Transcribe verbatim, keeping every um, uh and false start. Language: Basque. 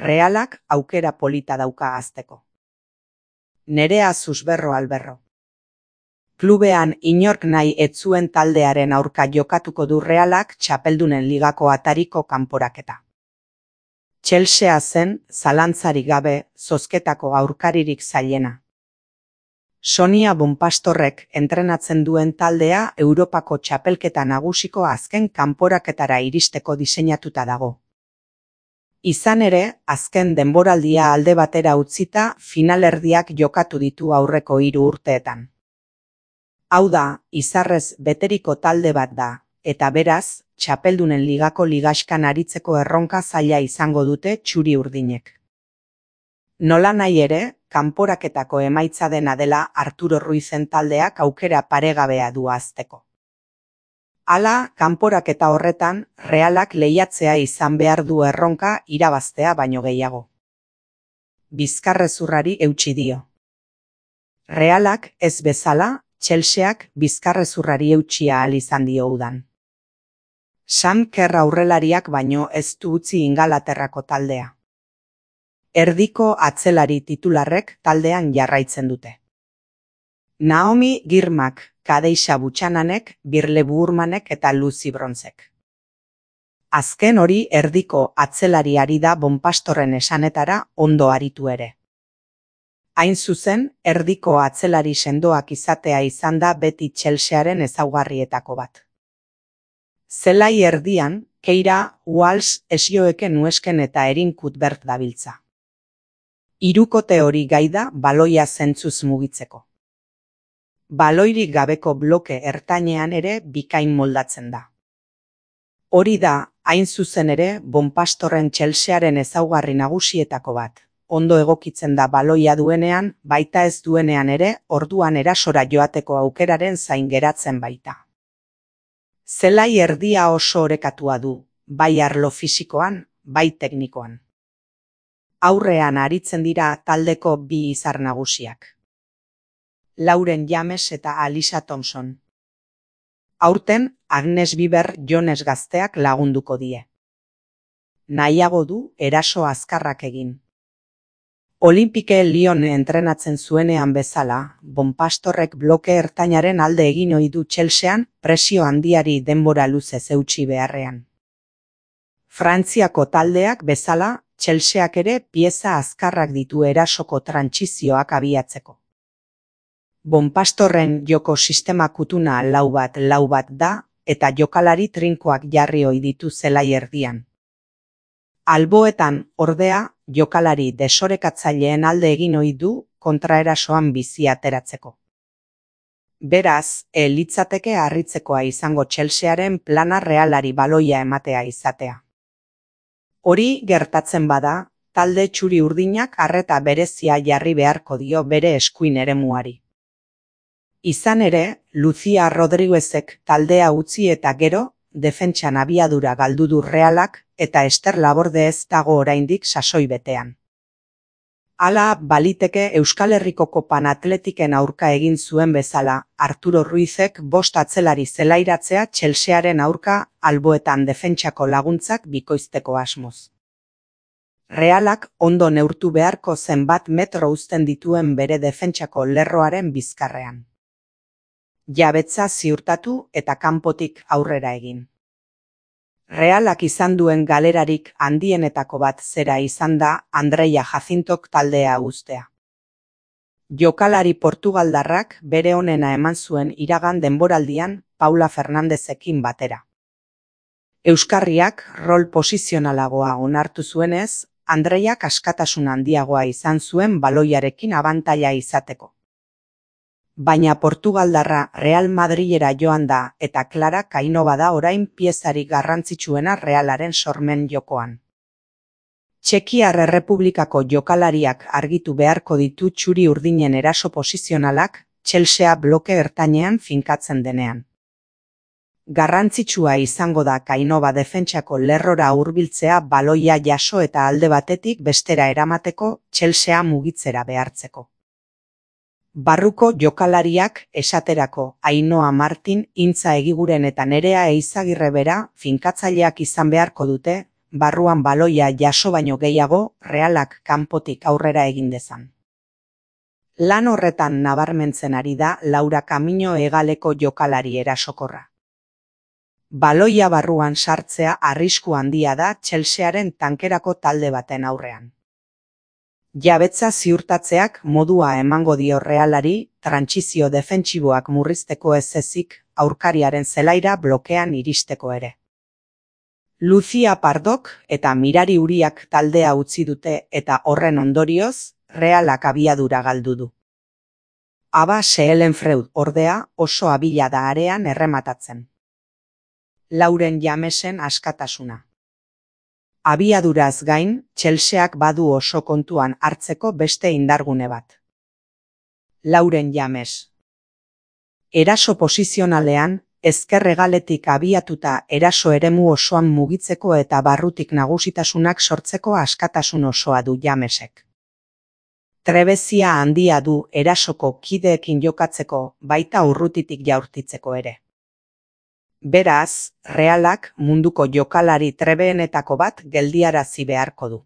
Realak aukera polita dauka hasteko. Nerea Susberro Alberro. Klubean inork nahi ez zuen taldearen aurka jokatuko du Realak Txapeldunen Ligako atariko kanporaketa. Chelsea zen, zalantzarik gabe, zozketako aurkaririk zailena. Sonia Bonpastorrek entrenatzen duen taldea Europako txapelketa nagusiko azken kanporaketara iristeko diseinatuta dago. Izan ere, azken denboraldia alde batera utzita finalerdiak jokatu ditu aurreko hiru urteetan. Hau da, izarrez beteriko talde bat da, eta beraz, Txapeldunen Ligako ligaxkan aritzeko erronka zaila izango dute txuri urdinek. Nola nahi ere, kanporaketako emaitza dena dela Arturo Ruizen taldeak aukera paregabea du hasteko. Hala, kanporaketa horretan, Realak lehiatzea izan behar du erronka irabaztea baino gehiago. Bizkarrezurrari eutsi dio. Realak ez bezala, Chelseak bizkarrezurrari eutsia ahal izan dio udan. Sam Kerr aurrelariak baino ez du utzi Ingalaterrako taldea. Erdiko atzelari titularrek taldean jarraitzen dute. Naomi Girmak, Kadeixa Buchananek, Birle Burmanek eta Lucy Bronzek. Azken hori erdiko atzelariari da Bonpastorren esanetara ondo aritu ere. Hain zuzen, erdiko atzelari sendoak izatea izan da beti Chelsearen ezaugarrietako bat. Zelai erdian, Keira, Walsh, Esioeke Nuesken eta Erin Cuthbert dabiltza. Hirukote hori gai da baloia zentzuz mugitzeko. Baloirik gabeko bloke ertainean ere bikain moldatzen da. Hori da, hain zuzen ere, Bonpastorren Chelsearen ezaugarri nagusietako bat. Ondo egokitzen da baloia duenean, baita ez duenean ere, orduan erasora joateko aukeraren zain geratzen baita. Zelai erdia oso orekatua du, bai arlo fisikoan, bai teknikoan. Aurrean aritzen dira taldeko bi izar nagusiak. Lauren James eta Alisa Thompson. Aurten, Agnes Biber Jones gazteak lagunduko die. Nahiago du eraso azkarrak egin. Olympique Lyon entrenatzen zuenean bezala, Bonpastorrek bloke ertainaren alde egin ohi du Chelsean presio handiari denbora luzez eutsi beharrean. Frantziako taldeak bezala, Chelseak ere pieza azkarrak ditu erasoko trantsizioak abiatzeko. Bonpastorren joko sistema kutuna lau bat lau bat da, eta jokalari trinkoak jarri ohi ditu zelai erdian. Alboetan, ordea, jokalari desorekatzaileen alde egin ohi du kontraerasoan bizi ateratzeko. Beraz, ez litzateke harritzekoa izango Chelsearen plana Realari baloia ematea izatea. Hori gertatzen bada, talde txuri urdinak arreta berezia jarri beharko dio bere eskuin eremuari. Izan ere, Lucia Rodriguezek taldea utzi eta gero, defentsan abiadura galdu du Realak eta Ester Laborde ez dago oraindik sasoi betean. Hala, baliteke Euskal Herriko Kopan Atletiken aurka egin zuen bezala, Arturo Ruizek bost atzelari zelairatzea Chelsearen aurka alboetan defentsako laguntzak bikoizteko asmoz. Realak ondo neurtu beharko zenbat metro uzten dituen bere defentsako lerroaren bizkarrean. Jabetza ziurtatu eta kanpotik aurrera egin. Realak izan duen galerarik handienetako bat zera izan da Andreia Jacintok taldea uztea. Jokalari portugaldarrak bere onena eman zuen iragan denboraldian Paula Fernandezekin batera. Euskarriak rol posizionalagoa onartu zuenez, Andreiak askatasun handiagoa izan zuen baloiarekin abantaila izateko. Baina Portugaldarra Real Madrilera joan da eta Clara Kainova da orain piezarik garrantzitsuena Realaren sormen jokoan. Txekiar Errepublikako jokalariak argitu beharko ditu txuri urdinen eraso posizionalak Chelsea bloke ertainean finkatzen denean. Garrantzitsua izango da Kainova defentsako lerrora hurbiltzea baloia jaso eta alde batetik bestera eramateko Chelsea mugitzera behartzeko. Barruko jokalariak esaterako Ainhoa Martin, Intza Egiguren eta Nerea Eizagirre bera finkatzaileak izan beharko dute, barruan baloia jaso baino gehiago Realak kanpotik aurrera egin dezan. Lan horretan nabarmentzen ari da Laura Camino hegaleko jokalari erasokorra. Baloia barruan sartzea arrisku handia da Chelsearen tankerako talde baten aurrean. Jabetza ziurtatzeak modua emango dio Realari trantsizio defentsiboak murrizteko ez ezik aurkariaren zelaira blokean iristeko ere. Lucia Pardok eta Mirari Uriak taldea utzi dute eta horren ondorioz Realak abiadura galdu du. Aba Sehlenfreud ordea oso abila da arean errematatzen. Lauren Jamesen askatasuna. Abiaduraz gain, Chelseak badu oso kontuan hartzeko beste indargune bat. Lauren James. Eraso posizionalean, ezker hegaletik abiatuta eraso eremu osoan mugitzeko eta barrutik nagusitasunak sortzeko askatasun osoa du Jamesek. Trebezia handia du erasoko kideekin jokatzeko baita urrutitik jaurtitzeko ere. Beraz, Realak munduko jokalari trebeenetako bat geldiarazi beharko du.